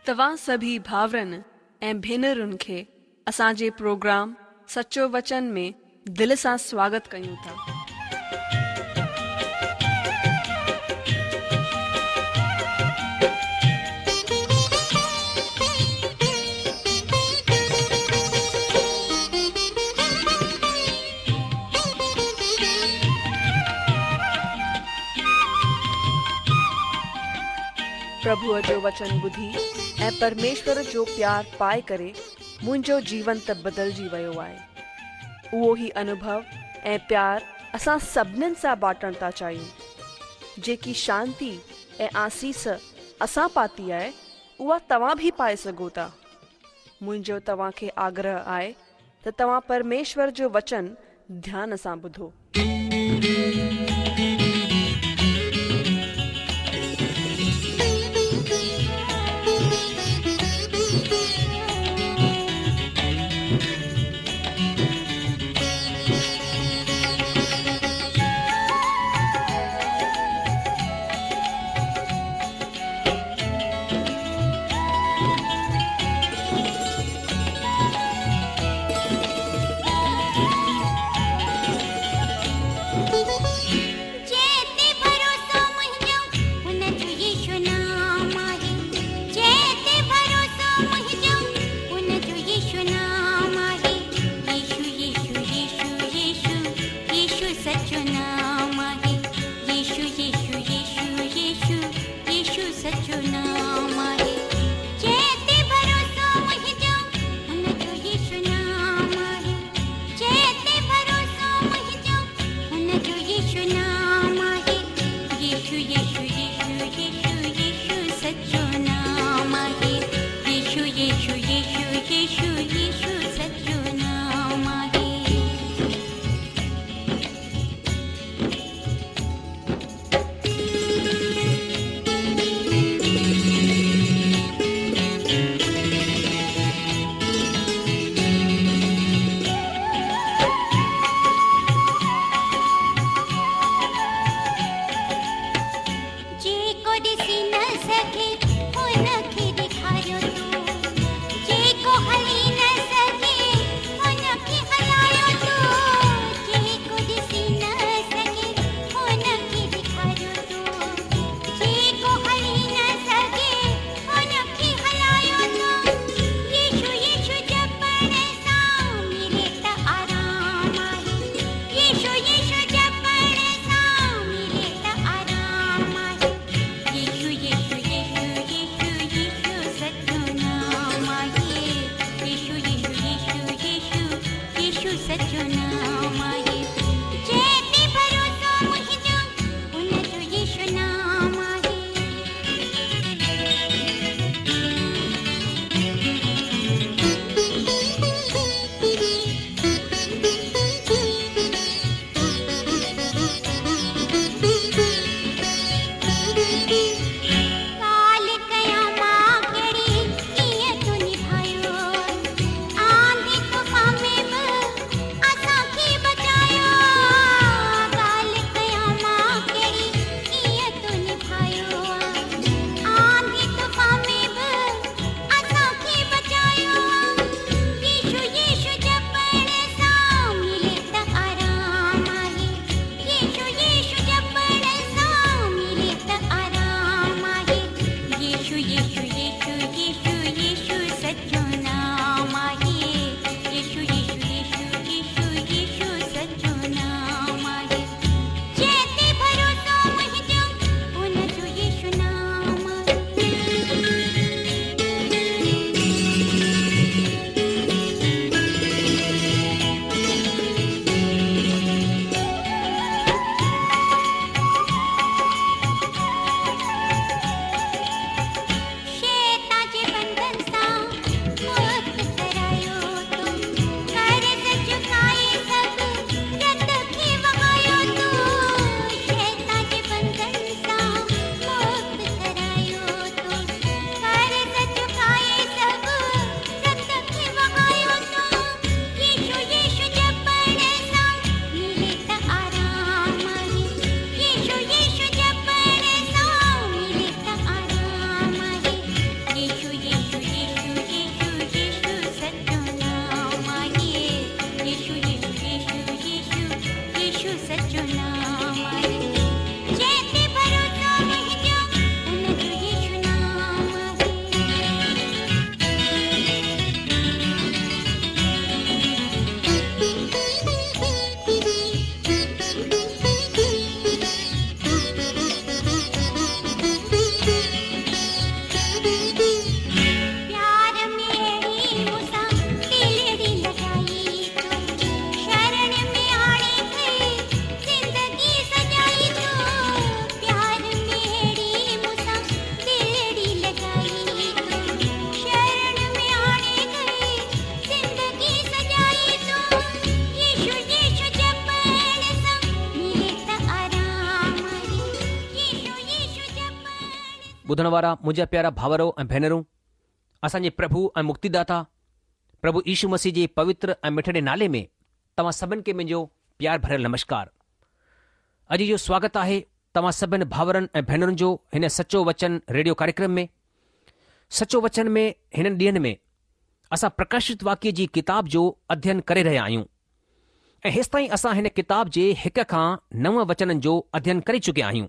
توهان سڀئي ڀائرن ۽ ڀينرن کي اسان جي پروگرام سچو وچن ۾ دل سان سواگت ڪيون ٿا. پرڀوء جو وچن ٻڌي ۽ پرميشور جو پيار پائي ڪري منهنجو جيون ته بدلجي ويو آهي. اهو ئي انوڀو ۽ پيار اسان سڀنين سان بانٽڻ ٿا چاهيون. جيڪي شانتي ۽ آسيس اسان پاتي آهي، اها توهان به پائي سگهو ٿا. منهنجو توهان کي آگرهه آهي ته توهان پرميشور جو وچن ڌيان سان ٻڌو. جنهن تي ڀروسو منهنجو ان جو يسوع نام آهي جنهن تي ڀروسو منهنجو ان جو يسوع نام آهي يسوع يسوع يسوع يسوع يسوع سچو نام آهي يسوع يسوع يسوع يسوع يسوع سچو نام آهي جنهن تي ڀروسو منهنجو ان جو يسوع نام آهي جنهن تي ڀروسو منهنجو ان جو يسوع نام آهي يسوع يسوع يسوع يسوع يسوع سچو نام آهي يسوع يسوع يسوع يسوع يسوع سچو نام آهي. جيڪو ڏسي نه سگهي هن کي ڏيکاريو تو جيڪو هلي نه سگهي هن کي هلايو تو جيڪو ڏسي نه سگهي هن کي ڏيکاريو تو جيڪو هلي نه سگهي هن کي هلايو تو يسوع يسوع جپڻ سان ملي ته آرام آهي يسوع يسوع جپڻ سان ملي ته آرام آهي يسوع يسوع يسوع يسوع يسوع سچو نام آهي يسوع يسوع يسوع يسوع يسوع سچو نام آهي جنهن تي ڀروسو منهنجو ان جو يسوع نام آهي. ڳالهه ڪيان مان ڪهڙي ڪيئن تو نڀايو آنڌي طوفان ۾ به اسان کي بچايو ڳالهه ڪيان مان ڪهڙي ڪيئن تو نڀايو آنڌي طوفان ۾ به اسان کي بچايو يسوع يسوع جپڻ سان ملي ته آرام آهي يسوع يسوع جپڻ سان ملي ته آرام آهي يسوع يسوع يسوع يسوع يسوع سچو نام آهي يسوع يسوع يسوع يسوع يسوع سچو نام آهي جنهن تي ڀروسو منهنجو ان جو يسوع نام آهي. شيطان جي ٻڌڻ وارا منهنجا پيارا ڀائرو ۽ ڀينرون، اسان جي پرڀو ۽ مڪتيداتا پرڀو يشو مسيح جي پوتر ۽ مٺڙي نالي ۾ توهان سڀن کي منهنجو پيار ڀريل نمشڪار. اڄ جو سواگت آهي توهان سڀن ڀائرن ۽ ڀينرن جو هن سچو وچن ريڊيو ڪاريڪرم ۾. سچو وچن ۾ هنن ڏينهن ۾ اسان پرڪاشت واڪيه جي ڪتاب جو اڌين ڪري رهيا آهيون ۽ هيستائين اسان هن ڪتاب جي هڪ کان نو وچنن جو اڌين ڪري چڪيا آهيون.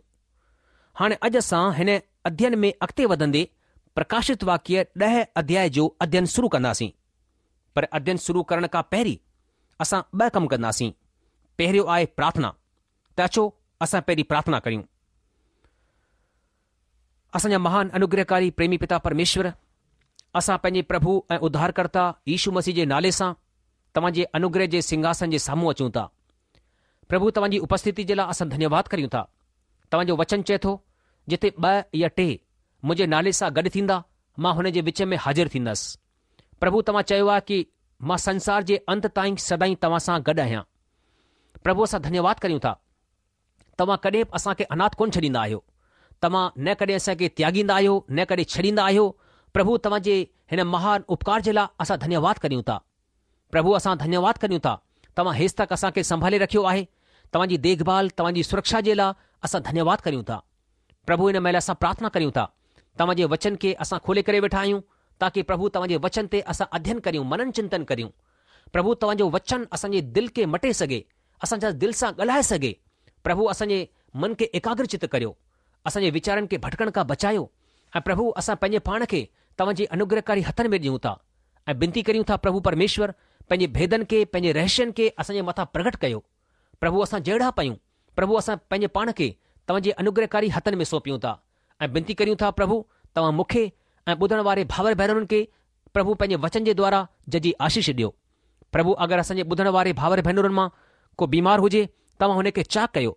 هاڻي اڄ اسان هن اڌين ۾ اڳتي وڌندي پرڪاشت واڪيه ڏهه اڌياء جو اڌين شروع ڪنداسين. پر اڌين شروع ڪرڻ کان پهرين اسان ٻه ڪم ڪنداسين. پهريون آهي پرارٿنا. ته اچو اسان پهرين پرارٿنا ڪريون. اسان جا مهان انوگرهڪاري پريمي پتا پرميشور، اسان پنهنجي پرڀو ۽ اڌارڪرتا يشو مسيح جي نالي سان توهان جي انوگره جي سنگهاسن جي سامهون اچون ٿا. پرڀو توهان جي اپسٿتي جي لاء اسان ڌنيواد ڪريون ٿا. توهان جو وچن چئي ٿو، جتي ٻه يا ٽي منهنجي نالي سان گڏ ٿيندا، مان هن جي وچ ۾ حاضر ٿيندس. پرڀو توهان چيو آهي ڪي مان سنسار جي انت تائين سدائين توهان سان گڏ آهيان. پرڀو اسان ڌنيواد ڪريون ٿا. توهان ڪڏهن به اسان کي اناٿ ڪونه ڇڏيندا آهيو. توهان نه ڪڏهن اسان کي تياڳيندا آهيو، نه ڪڏهن ڇڏيندا آهيو. پرڀو توهان جي هن مهان اپڪار جي لاء اسان ڌنيواد ڪريون ٿا. پرڀو اسان ڌنيواد ڪريون ٿا، توهان هيستڪ اسان کي سنڀالي رکيو آهي. توهان جي ديک ڀال، توهان جي سرڪشا جي لاء اسان ڌنيواد ڪريون ٿا. پرڀو هن مهل اسان پرارٿنا ڪريون ٿا. توهان جي وچن کي اسان کولي ڪري ويٺا آهيون، تاڪي پرڀو توهان جي وچن تي اسان اڌين ڪريون، منن چنتن ڪريون. پرڀو توهان جو وچن اسان جي دل کي مٽي سگهي، اسان جا دل سان ڳالهائي سگهي. پرڀو اسان جي من کي ايڪاگر چت ڪريو. اسان جي ويچارن کي ڀٽڪڻ کان بچايو ۽ پرڀو اسان پنهنجي پاڻ کي توهان جي انوگرهڪاري هٿن ۾ ڏيون ٿا ۽ بنتي ڪريون ٿا پرڀو پرميشور پنهنجي ڀيدن کي پنهنجي رهسين کي اسان جي مٿان پرگهٽ ڪيو. پرڀو اسان جهڙا به آهيون پرڀو اسان پنهنجي پاڻ کي توهان جي انوگرهڪاري هٿن ۾ سونپيون ٿا ۽ بنتي ڪريون ٿا پرڀو توهان مون کي ۽ ٻڌڻ واري ڀائر ڀينرن کي پرڀو پنهنجي وچن جي دوارا ججهي آشيش ڏيو. پرڀو اگر اسان جي ٻڌڻ واري ڀائر ڀينرن مان ڪو بيمار هجي توهان هن کي چاڪ ڪيو.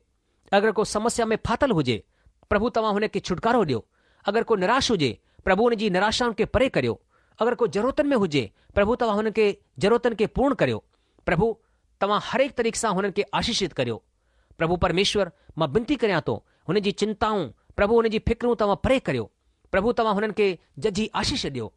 اگر ڪو سمسيا ۾ ڦاٿل هجي پرڀو توهان هن کي ڇوٽڪارو ڏيو. اگر ڪو نراش هجي پرڀو هن جي نراشائن کي پري ڪريو. اگر ڪو ضرورتن ۾ هجي پرڀو توهان هن کي ضرورتن کي پورڻ ڪريو. پرڀو توهان هر هڪ طريقي سان هنن کي آشيشت ڪريو. پرڀو پرميشور مان بنتي ڪريان ٿو هنن جي چنتائون پرڀو هنن جي فڪرون توهان پري ڪريو. پرڀو توهان هنن کي ججهي آشيش ڏيو.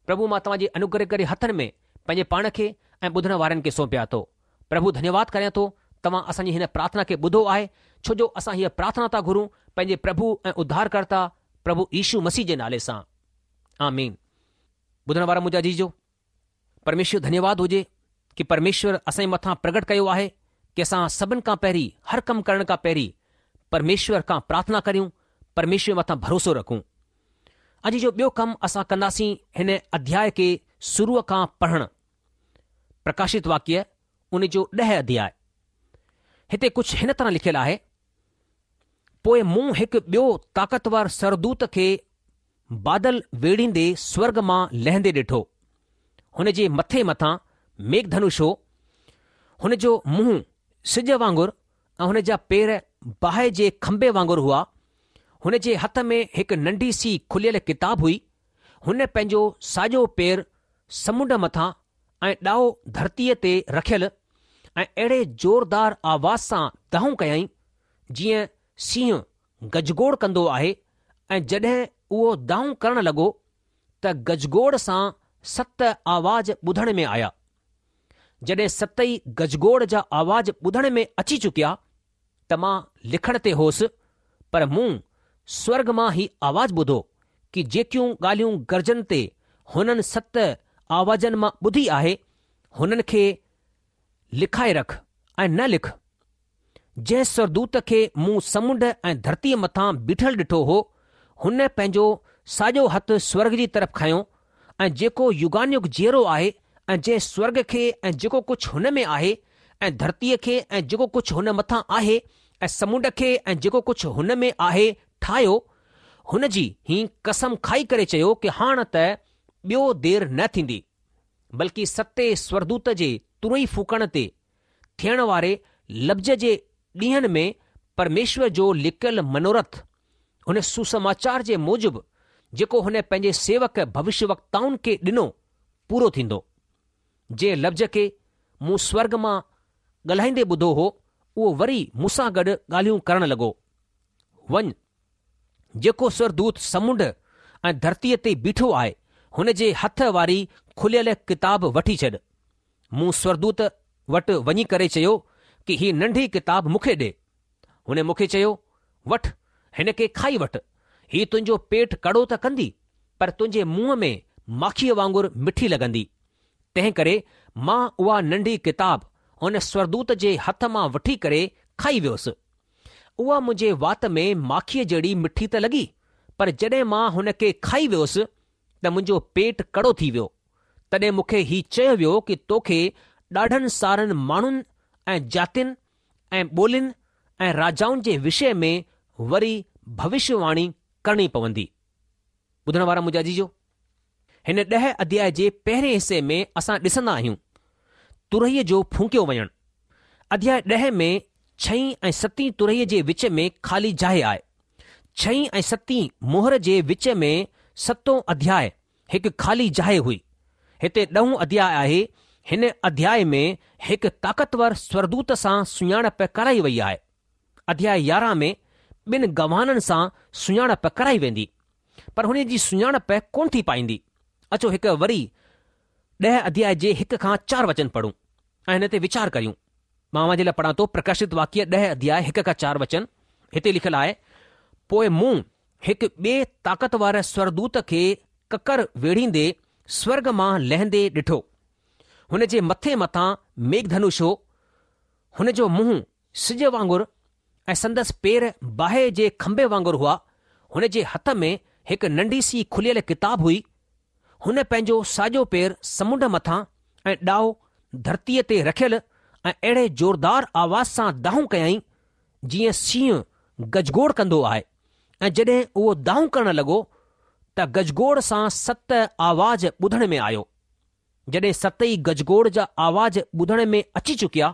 پرڀو مان توهان جي انوگرهڪاري هٿن ۾ پنهنجي پاڻ کي ۽ ٻڌڻ وارن کي سونپيان ٿو. پرڀو ڌنيواد ڪريان ٿو توهان اسان جي هن پرارٿنا کي ٻڌو آهي ڇو جو اسان هيء پرارٿنا ٿا گهرون پنهنجي پرڀو ۽ اڌارڪرتا پرڀو يشو مسيح جي نالي سان. آمين. ٻڌڻ وارا منهنجا عزيزو! پرميشور ڌنيواد هجي ڪي پرميشور اسان جي مٿان پرگٽ ڪيو آهي ڪي اسان سڀن کان پهرين هر ڪم ڪرڻ کان پهرين پرميشور کان پرارٿنا ڪريون پرميشور مٿان ڀروسو رکون. اڄ جو ٻيو ڪم اسان ڪنداسين هن اڌياء کي شروع کان پڙهڻ پرڪاشت واڪيه ان جو ڏهه اڌياء هتي ڪجهه هن طرح لکيل آهي پوء مون هڪ ٻيو طاقتور سورڳدوت کي بادل ويڙهيندي سورڳ مان لهندي ڏٺو. هن جي مٿي مٿان ميگهه ڌنش هو. هن جو منهن سج وانگر ۽ هن جا پير باهه جي کنڀي وانگر هئا. هن جي هٿ ۾ هڪ ننڍي سي کليل ڪتاب هئي. هن پنهنجو ساڄو پير سمنڊ مٿان ۽ ڏائو ڌرتيء تي رکيل ۽ اهڙي زوردار آواز سان دانهون ڪيائين، جيئن سينهن گجگوڙ ڪندو آهي ۽ جڏهن اهو دانهون ڪرڻ لڳو ته گجگوڙ سان ست آواز ٻڌڻ ۾ آيا. جڏهن ستئي گجگوڙ جا آواز ٻڌڻ ۾ اچي چڪيا ته مان لکڻ تي هوس پر مون سورڳ مان هي آواز ٻڌو ڪي جيڪيون ڳالهيون گرجن تي هنن ست آوازن مان ٻڌي آهي هنن کي لکائي رک ۽ نه لک. جنهن سورڳدوت کي مون سمنڊ ۽ ڌرتيء مٿان بيٺل ڏٺو هو، هن پنهنجو ساڄو هٿ سورڳ جي طرف کنيو ۽ جيڪو يگانيگ جيئرو آهي ۽ جنهن سورڳ کي ۽ جيڪو ڪجهه هن ۾ آهي ۽ ڌرتيء کي ۽ جيڪو ڪجهه هن مٿان آهي ۽ سمنڊ کي ۽ جيڪو ڪجهه هن ۾ آهي ٺاهيو، هن جي هي قسم کائي ڪري چيو ڪي هاڻ ته ٻيو دير نه ٿيندي، بلڪه ستين سورڳدوت جي ترئي ڦوڪڻ تي ٿيڻ واري لفظ جي ڏينهن ۾ پرميشور جو لڪيل منورٿ، هن سوسماچار جي موجب جيڪو هن پنهنجي سيوڪ ڀوشيوڪتائن کي ڏنو، پورو ٿيندو. جنهن لفظ کي مون سورڳ مان ڳالهائيندي ٻڌو هو، اهو وري مون سان گڏ ڳالهيون ڪرڻ لڳو. وڃ! جيڪو سورگدوت سمنڊ ۽ ڌرتيء تي بيٺو آهي، هن جي هٿ واري کليل ڪتاب وٺي ڇڏ. مون سورگدوت وٽ وڃي ڪري چيو ڪي هي ننڍي ڪتاب مون کي ڏي. هن مون کي چيو، وٺ، هن کي کائي وٺ. هي تنهنجو پيٽ ڪڙو ته ڪندي، پر تنهنجي منهن ۾ ماکيء وانگر مٺي لڳندي. تنهن ڪري مان اها ننڍي ڪتاب هن سورگدوت جي هٿ مان وٺي ڪري کائي ويس. اها منهنجي وات ۾ ماکيء جهڙي مٺي ته لڳي، پر جڏهن مان هن کي کائي ويس ته منهنجو پيٽ ڪڙو ٿي ويو. تڏهن مون کي هي چيو ويو ڪي توکي ڏاڍن سارن ماڻهن ۽ جاتين ۽ ٻولين ۽ راجائن جي وشي ۾ وري ڀوشيه واڻي ڪرڻي پوندي. ٻڌڻ وارا منهنجا عزيزو! هن ڏهه اڌياء جي پهرين حصي ۾ اسان ڏسندا آهيون ترهيء جو ڦونڪيو وڃڻ. اڌياء ڏهه ۾ ڇهين ۽ ستين ترهيء جي وچ ۾ خالي جاء آهي. ڇهين ۽ ستين مهر جي وچ ۾ ستون اڌياء هڪ خالي جاء هئي. هتي ڏهون اڌياء آهي. هن اڌياء ۾ هڪ طاقتور سورگدوت سان سڃاڻپ ڪرائي وئي آهي. اڌياء 11 ۾ ٻن گواهن سان سڃاڻپ ڪرائي ويندي. پر هن جي سڃاڻپ ڪونه ٿي پائيندي. اچو هڪ وري ڏهه اڌياء جي هڪ کان چار وچن پڙهون ۽ هن تي ويچار ڪريون. مان اوهان جي لاء پڙهان ٿو پرڪاشت واڪيه ڏهه اڌياء هڪ کان چار وچن. هتي لکيل آهي، پوء مون هڪ ٻئي طاقتور سورگدوت کي ڪڪر ويڙهيندي سورڳ مان لهندي ڏٺو. هن جي مٿي مٿان ميگهڌنش هو. هن جو منهن سج وانگر ۽ سندس پير باهه جي کنڀي وانگر هئا. هن جي هٿ ۾ هڪ ننڍي سي کليل ڪتاب هئي. هن پنهنجو ساڄو پير سمنڊ مٿان ۽ ڏائو ڌرتيء تي رکيل ۽ اهڙي زوردار آواز سان دانهون ڪيائين، جيئن شينهن گجگوڙ ڪندو آهي ۽ جڏهن اهو دانهون ڪرڻ لڳو ته گجگوڙ سان ست آواز ٻڌڻ ۾ آيو. جڏهن ستئي گجگوڙ جا آواز ٻڌڻ ۾ اچي چڪيا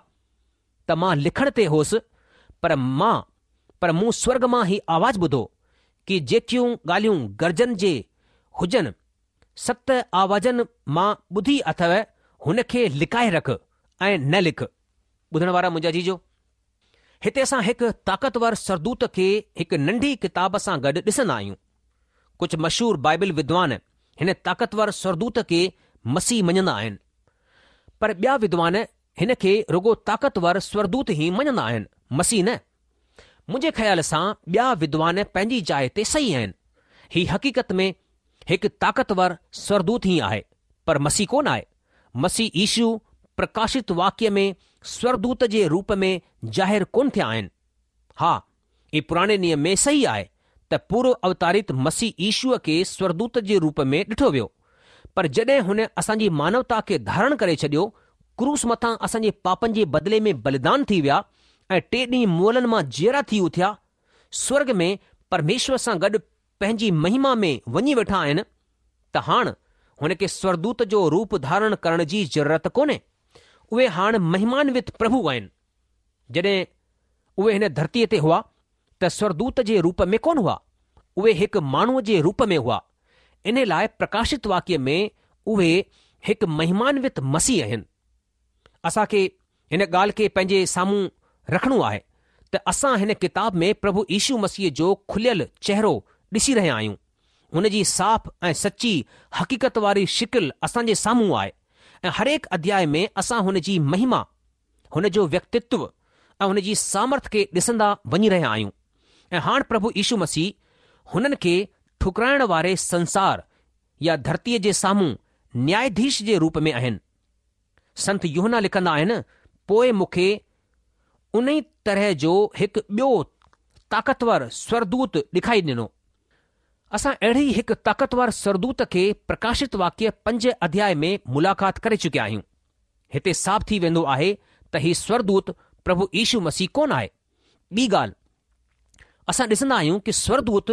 ته مان لکڻ تي هوس، پر مان پر مون سورڳ مان هي آواز ٻڌو ڪي جيڪيون ڳالهيون گرجن جي هجن ست آوازن مان ٻڌي اٿئو هن کي لڪائي رک ۽ نه لک. ٻڌڻ وارا منهنجا عزيزو! هتي اسان هڪ طاقتور سورگدوت کي هڪ ننڍي ڪتاب سان گڏ ڏسندا آهيون. ڪجهه مشهور بائبل ودوان هن طاقتور سورگدوت کي مسيح مڃندا آهن. پر ٻيا ودوان هن کي رڳو طاقتور سورگدوت ئي مڃندا آهن، مسيح نه. منهنجي خيال سان ٻيا ودوان پنهنجي جاء تي صحيح آهن. هي حقيقت ۾ هڪ طاقتور سورگدوت ئي آهي، پر مسيح ڪونه آهي. مسيح يشو پرڪاشت واڪيه ۾ سورگدوت جي روپ ۾ ظاهر ڪونه ٿيا آهن. ها، هي پراڻي نيم ۾ صحيح آهي ته پورو اوتارت مسيح يشوء کي سورگدوت جي روپ ۾ ڏٺو ويو، پر جڏهن هن اسان جي مانوتا کي ڌارڻ ڪري ڇڏيو، ڪروس مٿان اسان جي پاپن جي بدلي ۾ بليدان ٿي ويا ۽ ٽئين ڏينهن مئلن مان جيئرا ٿي اٿيا، سورڳ ۾ پرميشور سان گڏ پنهنجي مهما ۾ وڃي ويٺا آهن، ته هاڻ هن کي سورگدوت جو روپ ڌارڻ ڪرڻ جي ضرورت ڪونهي. اهي هاڻ مهمانوت پرڀو آهن. جڏهن اهي هن ڌرتيء تي هئا ته سورگدوت جي روپ ۾ ڪونه هئا، اهي هڪ ماڻهوء جي روپ ۾ هئا. ان لاء پرڪاشت واڪيه ۾ اهي هڪ مهمانوت مسيح آهن. اسان کي هن ڳالهه کي پنهنجي سامهون رکڻو آهي ته اسان هن ڪتاب ۾ پرڀو يشو مسيح جو کليل چهرو ڏسي رهيا آهيون. هن جي صاف ۽ سچي حقيقت واري شڪل اسان جي سامهون آهي ۽ هرهڪ اڌياء ۾ اسان هن جي مهما، هن جو ويڪتتو ۽ هن جي سامرٿ کي ڏسندا وڃي رهيا آهيون ۽ هاڻ پرڀو يشو مسيح هنن کي ٺڪرائڻ واري سنسار يا ڌرتيء جي سامهون نياياڌيش جي روپ ۾ آهن. سنت يوحنا لکندا آهن، پوء مون کي انهي طرح جو هڪ ٻيو طاقتور سورگدوت ڏکائي ڏنو. اسان اهڙي ئي هڪ طاقتور سورگدوت کي پرڪاشت واڪيه پنج اڌياء ۾ ملاقات ڪري چڪيا آهيون. هتي صاف ٿي ويندو آهي ته هي سورگدوت پرڀو يشو مسيح ڪونه آهي. ٻي ڳالهه اسان ڏسندا آهيون ڪي سورگدوت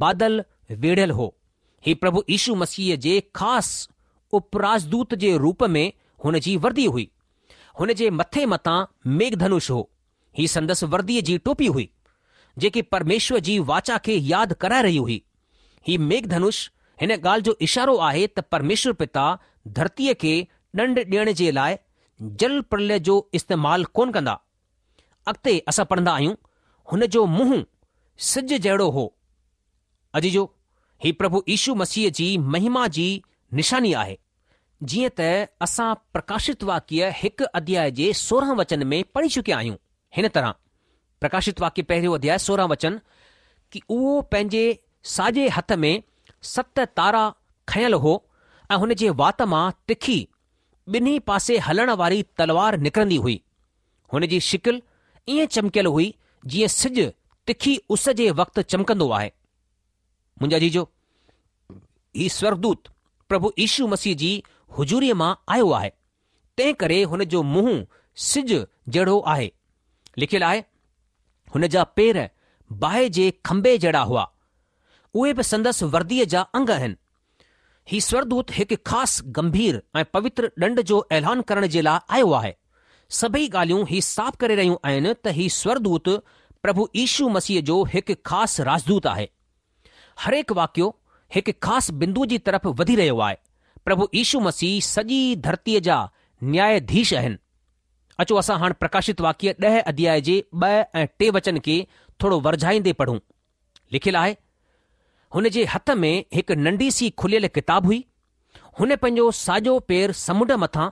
بادل ويڙهيل هو. هي پرڀو يشو مسيح جي خاص اپراجدوت جي روپ ۾ هن جي وردي هئي. هن جي مٿي مٿان ميگهڌنش هو. هي سندس ورديء جي ٽوپي هئي، جيڪي پرميشور جي واچا کي ياد ڪرائي رهي هئي. هي ميگهڌنش هن ڳالهه جو اشارو آهي ته پرميشور پتا ڌرتيء کي ڏنڊ ڏيڻ جي لاء جل پرليه جو استعمال ڪونه ڪندا. اڳتي اسان پڙهندا آهيون، هن جو منهن سج جهڙو هو. عزيزو، هي پرڀو يشو مسيح جي مهما جي نشاني آهي. جيئن ته اسان پرڪاشت واڪيه هڪ اڌياء جي 16 وچن ۾ پڙهي چڪيا آهيون، هن طرح، پرڪاشت واڪيه پهريون اڌياء 16 وچن، ڪي اهو پنهنجي ساڄي هٿ ۾ ست تارا کنيل هو ۽ هن جي وات مان تکي ٻنهي پاسي هلڻ واري تلوار نڪرندي هئي. هن جي شڪل ائين چمڪيل هئي جيئن سج تکي اس جي وقت چمڪندو آهي. منهنجا عزيزو، هي سورڳدوت پرڀو يشو مسيح جي حضوريء مان آيو آهي، تنهن ڪري هن جو منهن سج جهڙو آهي. لکيل آهي، هن جا پير باهه جي کنڀي جهڙا هئا. اهي به سندس ورديء جا انگ آهن. هي سورڳدوت هڪ خاص گنڀير ۽ پوتر ڏنڊ جو اعلان ڪرڻ جي لاء آيو آهي. سڀئي ڳالهيون هي صاف ڪري رهيون آهن ته هي سورڳدوت پرڀو يشو مسيح جو هڪ خاص راجدوت آهي. هرهڪ واقعو هڪ خاص بندو جي طرف وڌي رهيو آهي. پرڀو يشو مسيح سڄي ڌرتيء جا نياياڌيش آهن. اچو اسان هاڻ پرڪاشت واڪيه ڏهه اڌياء جي ٻه ۽ ٽي وچن کي ٿورو ورجائيندي پڙهون. لکيل آهي، هن جي هٿ ۾ هڪ ننڍي سي کليل ڪتاب هئي. هن پنهنجو ساڄو پير سمنڊ مٿان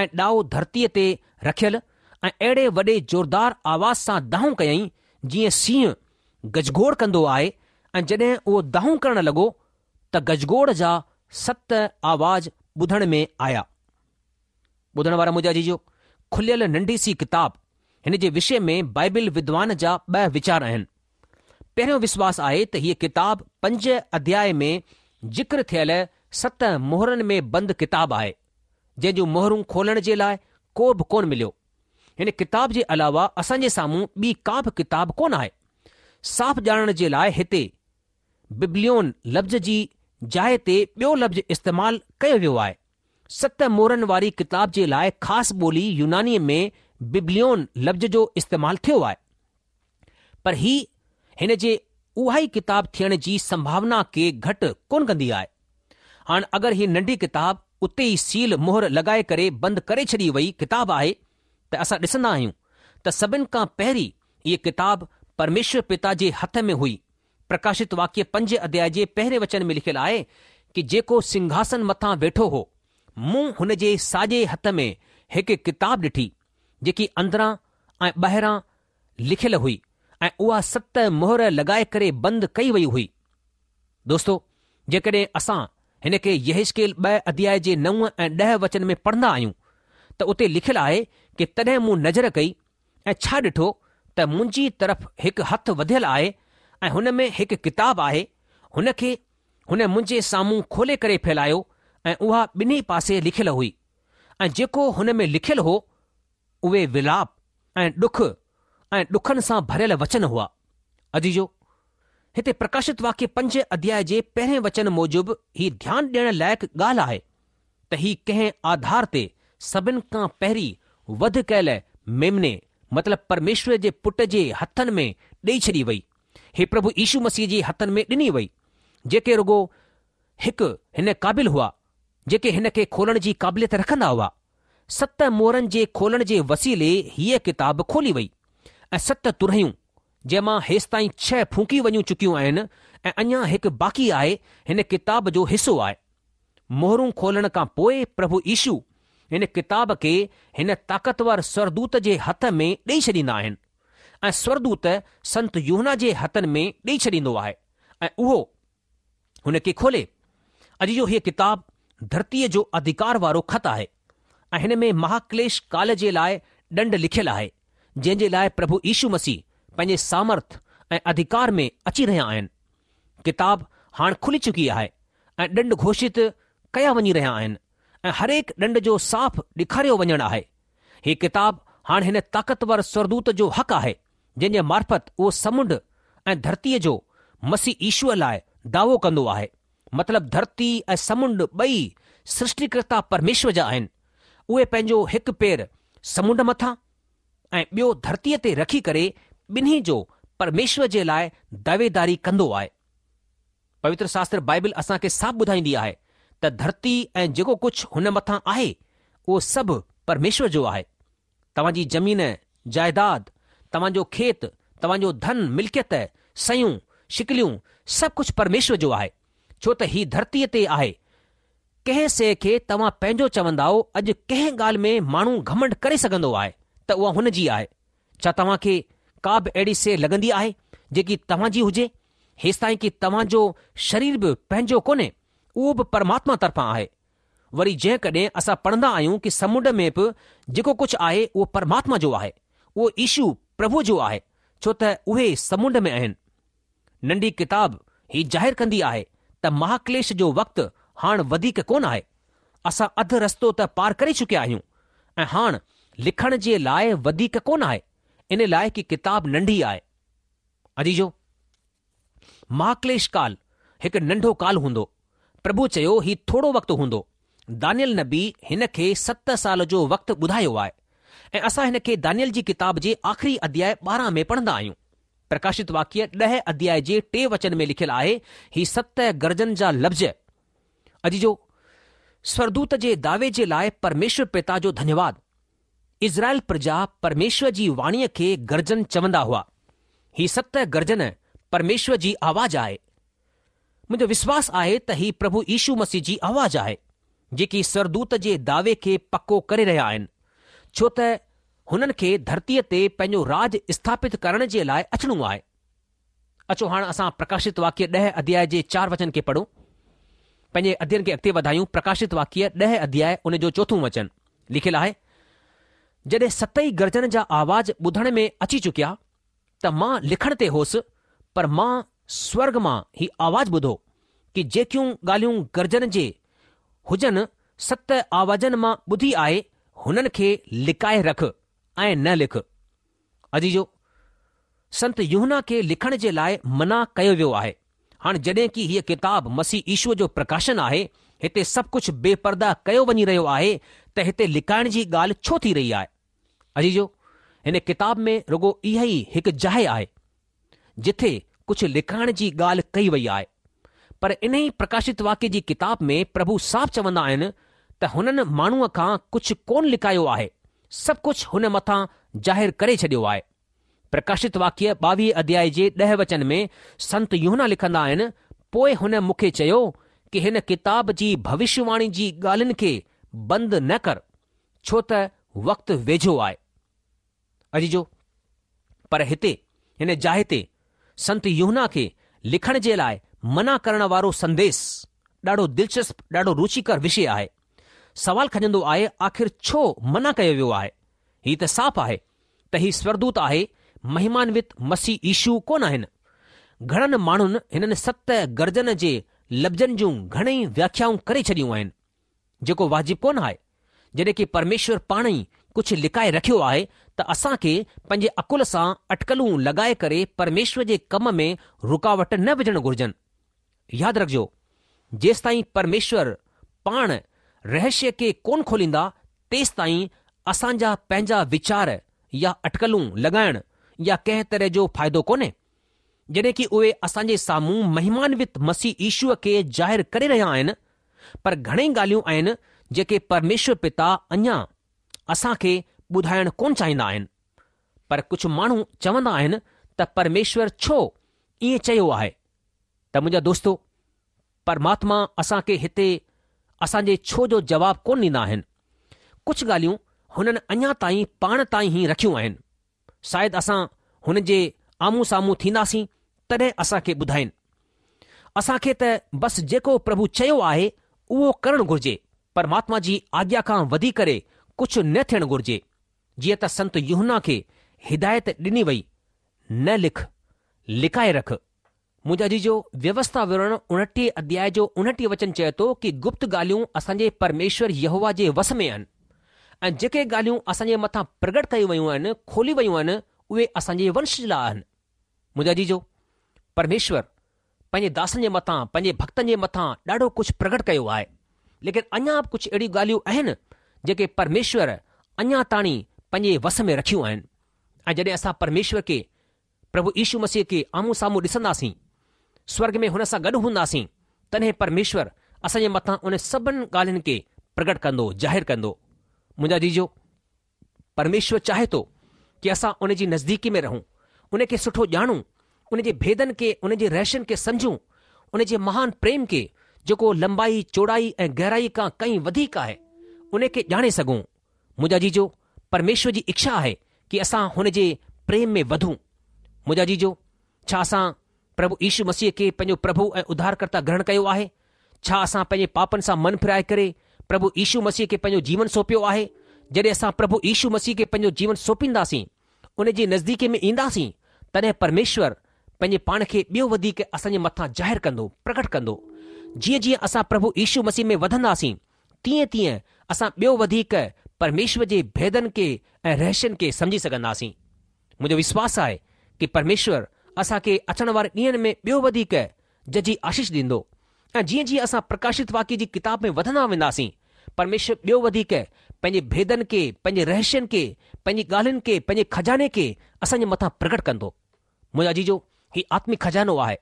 ۽ ڏائو ڌرتيء تي رکيل ۽ اهڙي وڏي زوردار آواز سان دانهون ڪيائين جيئن سينهن گجگوڙ ڪندو آهي ۽ جڏهن اهو دانهون ڪرڻ لڳو ته گجگوڙ جا ست آواز ٻڌڻ ۾ آيا. ٻڌڻ وارا منهنجا عزيزو، کليل ننڍي سي ڪتاب، هن جي وشي ۾ بائبل ودوان جا ٻه ويچار آهن. پهريون وشواس آهي ته هيء ڪتاب پنج اڌياء ۾ ذڪر ٿيل ست مهرن ۾ بند ڪتاب آهي، جنهن جون مهرون کولڻ جي لاء ڪو به ڪونه مليو. هن ڪتاب جي علاوه اسان جي سامهون ٻي ڪا به ڪتاب ڪونه آهي. صاف ڄاڻڻ جي لاء هتي ببليون لفظ جي جاء تي ٻيو لفظ استعمال ڪيو ويو آهي. ست مهرن واري ڪتاب جي لاء خاص ٻولي يونانيء ۾ ببليون لفظ جو استعمال ٿيو آهي. پر هي هن جي اها ئي ڪتاب ٿيڻ جي سنڀاونا کي گهٽ ڪونه ڪندي آهي. هاڻ اگر هي ننڍي ڪتاب اتي ئي سيل مهر لڳائي ڪري بند ڪري ڇڏي وئي ڪتاب آهي ته اسان ڏسندا آهيون ته سڀن کان پهرين هيء ڪتاب پرميشور پتا جي هٿ ۾ هئي. پرڪاشت واڪيه پنج اڌياء جي پهرين وچن ۾ لکيل آهي ڪي جيڪو سنگهاسن مٿان ويٺو هو مون هن جي ساڄي هٿ ۾ هڪ ڪتاب ڏٺي جيڪي اندران ۽ ٻاهران لکيل هئي ۽ اها ست مهر لڳائي ڪري بند ڪئي وئي هئي. دوستو! جيڪڏهن اسان هن کي يحيزڪيل ٻه اڌياء جي نو ۽ ڏهه وچن ۾ پڙهندا آهيون ته اتي لکيل آهي ڪي تڏهن مون نظر ڪئي ۽ ڇا ڏٺو ته منهنجي طرف هڪ هٿ وڌيل آهي ۽ هن ۾ هڪ ڪتاب آهي هن کي هن منهنجي سامهون کولي ڪري ڦهلايو ۽ اها ٻنهي پاسي لکيل هئي ۽ جيڪو هن ۾ لکيل هو اهي ولاپ ۽ ڏک ۽ ڏکن سان ڀريل وچن هئا. عزيزو! هتي پرڪاشت واڪيه پنج اڌياء جي پهرين وچن موجب هي ڌيان ڏيڻ لائق ڳالهه آهي ته هي ڪنهن آڌار تي سڀن کان پهرين وڌ ڪيل ميمني مطلب پرميشور جي پٽ جي هٿن ۾ ڏئي ڇڏي وئي. هي پرڀو يشو مسيح جي هٿن ۾ ڏني وئي جيڪي رڳو هڪ هن قابل هئا جيڪي هن کي کولڻ جي قابليت رکندا هئا. ست مهرن جي کولڻ جي وسيلي هيء ڪتاب کولي وئي ۽ ست ترهيون، جنهن مان هيستائين ڇهه ڦونڪي وڃي چڪيون آهن ۽ اڃا هڪ باقي آهي، هن ڪتاب جو حصو آهي. مهرون کولڻ کان پوء پرڀو يشو هن ڪتاب کي هن طاقتور سورڳدوت جي هٿ ۾ ڏئي ڇڏيندا آهن ۽ سورڳدوت سنت يوحنا جي هٿن ۾ ڏئي ڇڏيندو آهي ۽ اهو هن کي کولي. عزيزو هيء ڪتاب ڌرتيء جو اڌڪار وارو خط آهي ۽ هن ۾ مهاڪليش ڪال جي لاء ڏنڊ لکيل آهي، جنهن جي لاء پرڀو يشو مسيح پنهنجي سامرٿ ۽ اڌڪار ۾ اچي رهيا آهن. ڪتاب هاڻ کلي چڪي آهي ۽ ڏنڊ گهوشت ڪيا وڃي رهيا آهن ۽ هرهڪ ڏنڊ جو صاف ڏيکاريو وڃڻ آهي. هيء ڪتاب هاڻ هن طاقتور سورڳدوت جو حق آهي. جنهن جي معرفت اهو سمنڊ ۽ ڌرتيء جو مسيح يشوء لاء دعوو ڪندو آهي. مطلب ڌرتي ۽ سمنڊ ٻئي سرشٽيڪرتا پرميشور جا آهن. اهي پنهنجو هڪ پير سمنڊ مٿان ۽ ٻيو ڌرتيء تي رکي ڪري ٻنهي جو پرميشور جي لاء دعويداري ڪندو آهي. پوتر شاستر بائبل اسان کي صاف ٻڌائيندي آهي ته ڌرتي ۽ جيڪو ڪجهه هن مٿان آهي اهو سڀ پرميشور جو آهي. توهان جي زمين، جائداد، توهان جو کيت، توهان جو ڌن، ملڪيت، شيون، شڪليون سڀ ڪجهه پرميشور جو آهي، ڇو ته هي ڌرتيء تي آهي. ڪنهن شيء کي توهان پنهنجو چوندائو اڄ ڪنهن ڳالهه ۾ ماڻهو گهمنڊ ڪري سگهندو آهي ته اها هن جي آهي. ڇا توهان کي ڪا به اهڙي شيء لڳندي آهي جيڪي توهان جي هجي؟ هيستائين ڪي توهان جو شرير به پنهنجو ڪونهي، اهو به پرماتما طرفان آهي. وري جيڪڏهن اسان پڙهندا آهيون ڪي سمنڊ ۾ به جيڪو ڪجهه آهي اهو پرماتما جو آهي، اهو يشو پرڀوء جو آهي، ڇو ته اهي سمنڊ ۾ آهن. ننڍي ڪتاب هي ظاهر ڪندي آهي ته مهاڪليش جو وقت هاڻ وڌيڪ ڪونه آهي. اسان اڌ رستو ته پار ڪري چڪيا آهيون ۽ هاڻ لکڻ جي لاء وڌيڪ ڪونه آهي، ان لاء ڪي ڪتاب ننڍي آهي. عزيزو! مهاڪليش ڪال هڪ ننڍو ڪال هوندو. پرڀو چيو هي ٿورو وقت هوندو. دانيل نبي هن کي ست سال جو وقت ٻڌايو آهي ۽ اسان هن کي دانيل جي ڪتاب جي آخري اڌياء 12 ۾ پڙهندا آهيون. پرڪاشت واڪيه ڏهه اڌياء جي ٽي وچن ۾ لکيل آهي هي ست گرجن جا لفظ. عزيزو! سورگدوت جي دعوي جي لاء پرميشور پتا جو ڌنيواد. اسرائيل پرجا پرميشور جي واڻيء کي گرجن چوندا هئا. هي ست گرجن پرميشور جي آواز آهي. منهنجو وشواس آهي ته هي پرڀو يشو مسيح جي آواز آهي، جيڪي سورگدوت جي دعوي کي پڪو ڪري رهيا آهن، ڇو ته هنن کي ڌرتيء تي پنهنجو راڄ اسٿاپت ڪرڻ جي لاء اچڻو آهي. اچو هاڻ اسان پرڪاشت واڪيه ڏهه اڌياء جي چار وچن کي پڙهون. پنهنجي اڌيين کي اڳتي وڌايون پرڪاشت واڪيه ڏهه اڌياء ان جو چوٿون وچن لکيل آهي، جڏهن ستئي گرجن جا آواز ٻڌڻ ۾ اچي چڪيا ته مان لکڻ تي هوس پر مان سورگ مان هي آواز ٻڌو ڪي جيڪيون ڳالهيون گرجن جي هجن ست آوازن مان ٻڌي آهي هنن کي لڪائي رک ۽ نه لک. عزيزو! سنت يوحنا کي لکڻ جي لاء منع ڪيو ويو آهي. هاڻ جڏهن ڪي هيء ڪتاب مسيح يشوء جو پرڪاشن آهي، هتي سڀ ڪجهه بي پرده ڪيو وڃي رهيو آهي ته هتي لڪائڻ جي ڳالهه ڇو ٿي رهي آهي؟ عزيزو! هن ڪتاب ۾ رڳو اها ئي هڪ جاء آهي، جٿي ڪجهه لڪائڻ جي ڳالهه ڪئي وئي آهي. پر انهي پرڪاشت واڪيه جي ڪتاب ۾ پرڀو صاف چوندا آهن ته هنن ماڻهوء کان ڪجهه ڪونه لڪايو آهي، سڀ ڪجهه هن مٿان ظاهر ڪري ڇڏيو آهي. پرڪاشت واڪيه ٻاويهه اڌيائي جي ڏهه وچن ۾ سنت يوحنا لکندا آهن، پوء هن مون کي چيو ڪي هن ڪتاب جي ڀوشيواڻي جي ڳالهين کي بند نه ڪر، ڇو ته وقت ويجهو آهي. عزيزو! پر هتي، هن جاء تي، سنت يوحنا کي لکڻ جي لاء منع ڪرڻ وارو سنديس، ڏاڍو دلچسپ، ڏاڍو روچيڪر وشي آهي. سوال کڄندو آهي آخر ڇو منع ڪيو ويو آهي؟ هي ته صاف آهي ته هي سورگدوت آهي، مهمانوت مسيح يشو ڪونه آهن. گهڻن ماڻهن هنن ست گرجن جي لفظن جون گهڻئي وياکيائون ڪري ڇڏيون آهن. جيڪو واجب ڪونه آهي. جڏهن ڪي پرميشور پاڻ ئي ڪجهه لڪائي رکيو آهي ته اسان کي پنهنجي عقل سان اٽڪلون لڳائي ڪري پرميشور جي ڪم ۾ رڪاوٽ نه وجهڻ گهرجن. ياد رکجو، جيستائين پرميشور پاڻ رهشيه کي ڪونه کوليندا تيستائين اسان جا پنهنجا ويچار يا اٽڪلون لڳائڻ يا ڪنهن طرح جو فائدو ڪونهي. جڏهن ڪي اهي اسان جي سامهون مهمانوت مسيح يشوء کي ظاهر ڪري رهيا آهن، پر گهڻئي ڳالهيون آهن جيڪي پرميشور پتا اڃا اسان کي ٻڌائڻ ڪونه چاهيندا آهن. پر ڪجهه ماڻهو چوندا آهن ته پرميشور ڇو ائين چيو آهي؟ ته منهنجا دوستو، پرماتما اسان کي هتي اسان جي ڇو جو جواب ڪونه ڏيندا آهن. ڪجهه ڳالهيون هنن اڃا تائين پاڻ تائين ئي رکيون آهن. شايد اسان هن جي آمهون سامهون ٿينداسين تڏهن اسان کي ٻڌائين. اسان کي ته بس جيڪو پرڀو چيو آهي اهو ڪرڻ گهرجي، پرماتما جي آگيا کان وڌي ڪري ڪجهه نه ٿيڻ گهرجي. جيئن ته سنت يوحنا کي هدايت ڏني وئي، نه لک، لڪائي رک. منهنجا عزيزو، ويوسٿا وورڻ اڻٽيهه اڌياء جو اڻٽيهه وچن چئي ٿو ڪي گپت ڳالهيون اسان جي پرميشور يهوه جي وس ۾ آهن ۽ جيڪي ڳالهيون اسان جي مٿان پرگٽ ڪيون ويون آهن، کولي ويون آهن، اهي اسان جي ونش لاء آهن. منهنجا عزيزو، پرميشور پنهنجي داسن جي مٿان، پنهنجي ڀڳتن جي مٿان ڏاڍو ڪجهه پرگٽ ڪيو آهي، ليڪن اڃا به ڪجهه اهڙيون ڳالهيون آهن جيڪي پرميشور اڃا تاڻي پنهنجي وس ۾ رکيون آهن ۽ جڏهن اسان پرميشور کي پرڀو يشو مسيح کي آمهون سامهون ڏسنداسين، سورڳ ۾ هن سان گڏ هونداسين، تڏهن پرميشور اسان جي مٿان انهن سڀن ڳالهين کي پرگٽ ڪندو، ظاهر ڪندو. منهنجا عزيزو، پرميشور چاهي ٿو ڪي اسان ان جي نزديڪي ۾ رهون، ان کي سٺو ڄاڻون ان جي ڀيدن کي، ان جي رهسين کي سمجهون، ان جي مهان پريم کي جيڪو لمبائي، چوڙائي ۽ گهرائي کان ڪئين وڌيڪ آهي، ان کي ڄاڻي سگهون. منهنجا عزيزو، پرميشور جي اڇا آهي ڪي اسان هن جي پريم ۾ وڌون. منهنجا عزيزو، ڇا اسان پرڀو يشو مسيح کي پنهنجو پرڀو ۽ اڌارڪرتا گرهڻ ڪيو آهي؟ ڇا اسان پنهنجي پاپن سان من ڦيرائي ڪري پرڀو يشو مسيح کي پنهنجو جيون سونپيو آهي؟ جڏهن اسان پرڀو يشو مسيح کي پنهنجو جيون سونپينداسين، ان جي نزديڪي ۾ اينداسين، تڏهن پرميشور پنهنجي پاڻ کي ٻيو وڌيڪ اسان جي مٿان ظاهر ڪندو، پرگٽ ڪندو. جيئن جيئن اسان پرڀو يشو مسيح ۾ وڌنداسين، تيئن تيئن اسان ٻيو وڌيڪ پرميشور جي ڀيدن کي ۽ رهسين کي سمجهي سگهنداسين. منهنجو وشواس آهي ڪي پرميشور اسان کي اچڻ واري ڏينهن ۾ ٻيو وڌيڪ ججهي آشيش ڏيندو ۽ جيئن جيئن اسان پرڪاشت واڪيه جي ڪتاب ۾ وڌندا وينداسين، پرميشور ٻيو وڌيڪ پنهنجي ڀيدن کي، پنهنجي رهسين کي، پنهنجي ڳالهين کي، پنهنجي خزاني کي اسان جي مٿان پرگٽ ڪندو. منهنجا عزيزو، هي آتمڪ خزانو آهي.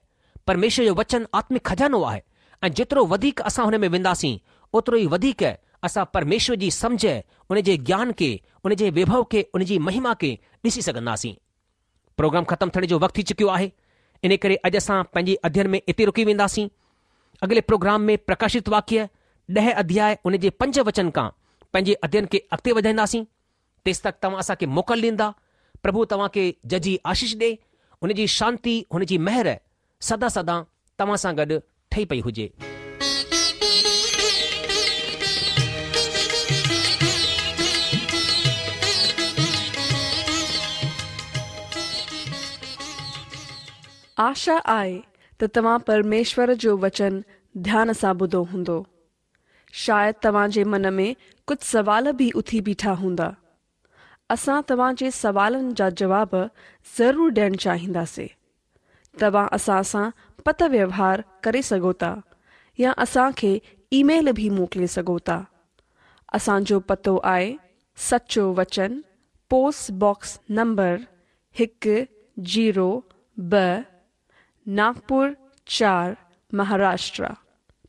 پرميشور جو وچن آتمڪ خزانو آهي ۽ جيترو وڌيڪ اسان هن ۾ وينداسين، اوترو ئي وڌيڪ اسان پرميشور جي سمجهه، ان جي گيان کي، ان جي ويڀو کي، ان جي مهما کي ڏسي سگهنداسين. پروگرام ختم ٿيڻ جو وقت ٿي چڪيو آهي، انهي ڪري اڄ اسان پنهنجي اڌين ۾ اتي رڪي وينداسين. اڳلي پروگرام ۾ پرڪاشت واڪيه ڏهه اڌياء ان جي پنج وچن کان پنهنجي اڌين کي اڳتي وڌائينداسين. تيستڪ توهان اسان کي موڪل ڏيندا. پرڀو توهان کي ججهي آشيش ڏي. هن جي شانتي، هن جي مهر سدا سدا توهان سان گڏ ٺهي پئي هجي. آشا آهي ته توهان پرميشور جو وچن ڌيان سان ٻڌو هوندو. شايد توهان جي من ۾ ڪجهه سوال به اٿي بيٺا هوندا. اسان توهان جي سوالن جا جواب ضرور ڏيڻ چاهينداسين. توهان اسان سان پتر ويوهار ڪري سگهو ٿا يا اسان کي اي ميل به موڪلي سگهو ٿا. اسان جو پتو آهي سچو وچن پوسٽ باڪس نمبر هڪ زيرو ٻه ناگپور چار مهاراشٽرا.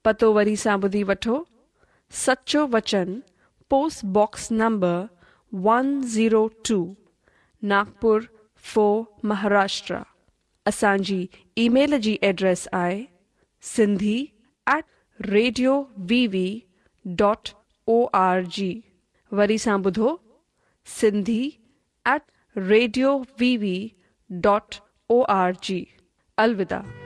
پتو وري سان ٻڌي وٺو سچو وچن post box number one zero two Nagpur four Maharashtra. اسان جي اي ميل جي ايڊريس آهي Sindhi at radio V V dot O R G وري سان ٻڌو Sindhi at radio V V dot O R G. الوداع.